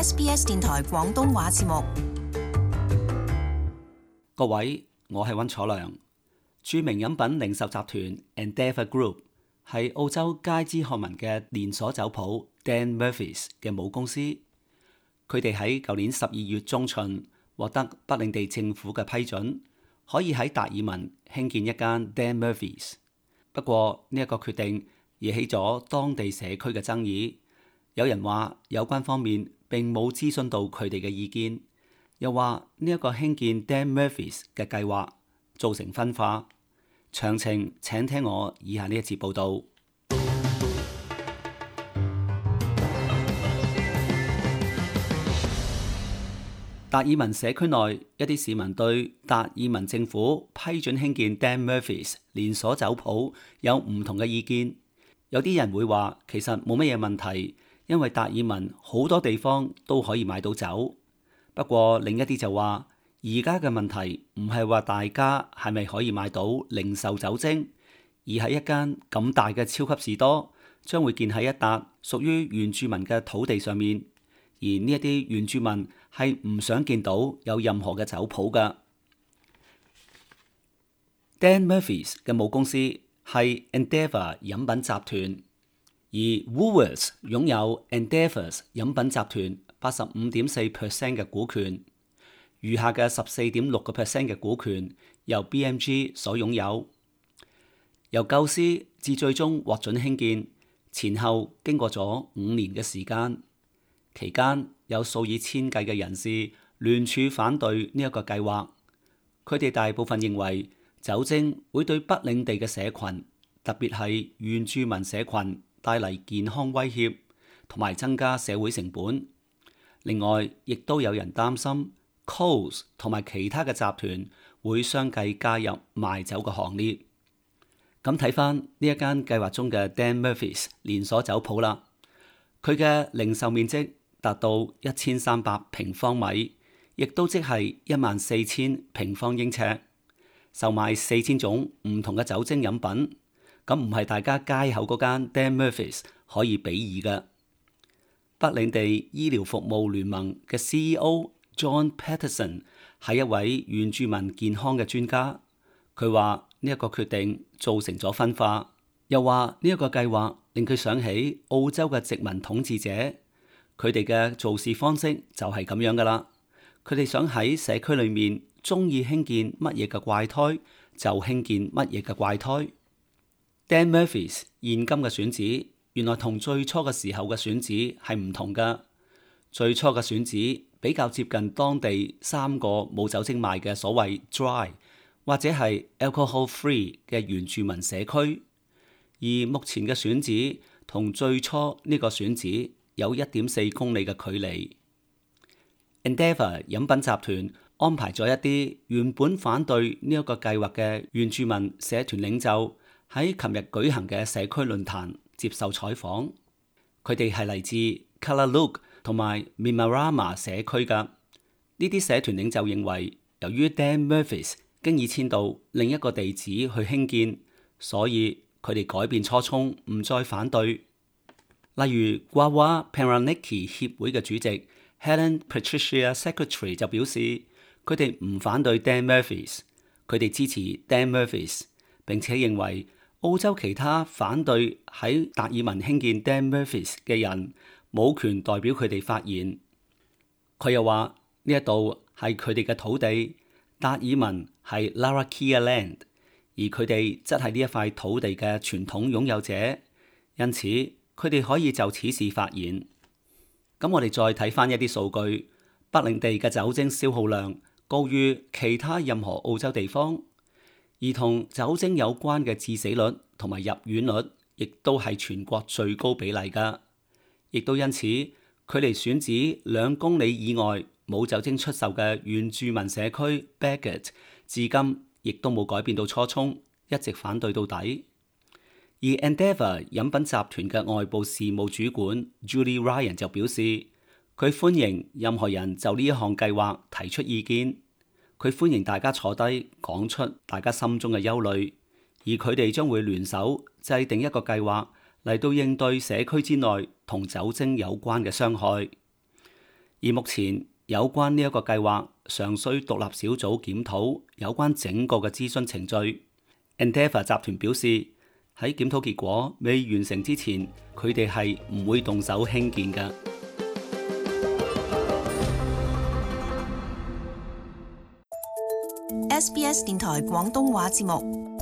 SBS 電台廣東話節目。各位，我係溫楚良。著名飲品零售集團 Endeavour Group 係澳洲街知巷聞嘅連鎖酒鋪 Dan Murphy's 嘅母公司。佢哋喺舊年12月中旬獲得北領地政府嘅批准，可以喺達爾文興建一間 Dan Murphy's。不過呢一個決定惹起咗當地社區嘅爭議。有人話有關方面並冇諮詢到佢哋嘅意見，又話呢一個興建 Dan Murphy's 嘅計劃造成分化。詳情請聽我以下呢一節報導。達爾文社區內一啲市民對達爾文政府批准興建 Dan Murphy's 連鎖酒鋪有唔同嘅意見。有啲人會話其實冇乜嘢問題，因為達爾文好多地方都可以買到酒。不過另一啲就話，而家嘅問題唔係話大家係咪可以買到零售酒精，而係一間咁大嘅超級士多將會建喺一笪屬於原住民嘅土地上面，而呢一啲原住民係唔想見到有任何嘅酒鋪㗎。Dan Murphy's 嘅母公司係 Endeavour 飲品集團，而 Woolworths 擁有 Endeavour 飲品集團85.4% 嘅股權，餘下嘅14.6% 嘅股權由 BMG 所擁有。由構思至最終獲准興建，前後經過咗5年嘅時間，期間有數以千計嘅人士聯署反對呢一個計劃。佢哋大部分認為酒精會對北領地嘅社群，特別係原住民社群帶嚟健康威脅，同埋增加社會成本。另外，亦都有人擔心 Coles 同埋其他嘅集團會相繼加入賣酒嘅行列。咁睇翻呢一間計劃中嘅 Dan Murphy's 連鎖酒鋪啦，佢嘅零售面積達到1300平方米，亦都即係14000平方英尺，售賣4000種唔同嘅酒精飲品。咁唔係大家街口嗰間 Dan Murphy's 可以比擬嘅。北領地醫療服務聯盟嘅 CEO John Patterson 係一位原住民健康嘅專家，佢話呢一個決定造成咗分化，又話呢一個計劃令佢想起澳洲嘅殖民統治者，佢哋嘅做事方式就係咁樣噶啦。佢哋想喺社區裏面中意興建乜嘢嘅怪胎就興建乜嘢嘅怪胎。Dan Murphy's 現今嘅選址原來同最初嘅時候嘅選址係唔同㗎。最初嘅選址比較接近當地3個冇酒精賣嘅所謂 dry 或者係 alcohol free 嘅原住民社區，而目前嘅選址同最初呢個選址有1.4公里嘅距離。Endeavour 飲品集團安排咗一啲原本反對呢一個計劃嘅原住民社團領袖喺琴日舉行嘅社區論壇接受採訪，佢哋係嚟自 Kalaluk 同埋 Mimarama 社區㗎。呢啲社團領袖認為，由於 Dan Murphy's 經已遷到另一個地址去興建，所以佢哋改變初衷，唔再反對。例如 Gwawa Peraniki 協會嘅主席 Helen Patricia Secretary 就表示，佢哋唔反對 Dan Murphy's， 佢哋支持 Dan Murphy's， 並且認為澳洲其他反對喺達爾文興建 Dan Murphy's 嘅人冇權代表佢哋發言。佢又話呢一度係佢哋嘅土地，達爾文係 Larrakia Land， 而佢哋則係呢一塊土地嘅傳統擁有者，因此佢哋可以就此事發言。咁我哋再睇翻一啲數據，北領地嘅酒精消耗量高於其他任何澳洲地方。而同酒精有關嘅致死率同埋入院率，亦都係全國最高比例㗎。亦都因此，距離選址2公里以外冇酒精出售嘅原住民社區 Bagot， 至今亦都冇改變到初衷，一直反對到底。而 Endeavour 飲品集團嘅外部事務主管 Julie Ryan 就表示，佢歡迎任何人就呢一項計劃提出意見。佢歡迎大家坐低講出大家心中嘅憂慮，而佢哋將會聯手制定一個計劃嚟到應對社區之內同酒精有關嘅傷害。而目前有關呢一個計劃尚需獨立小組檢討有關整個嘅諮詢程序。Endeavour 集團表示，喺檢討結果未完成之前，佢哋係唔會動手興建嘅。SBS 電台廣東話節目。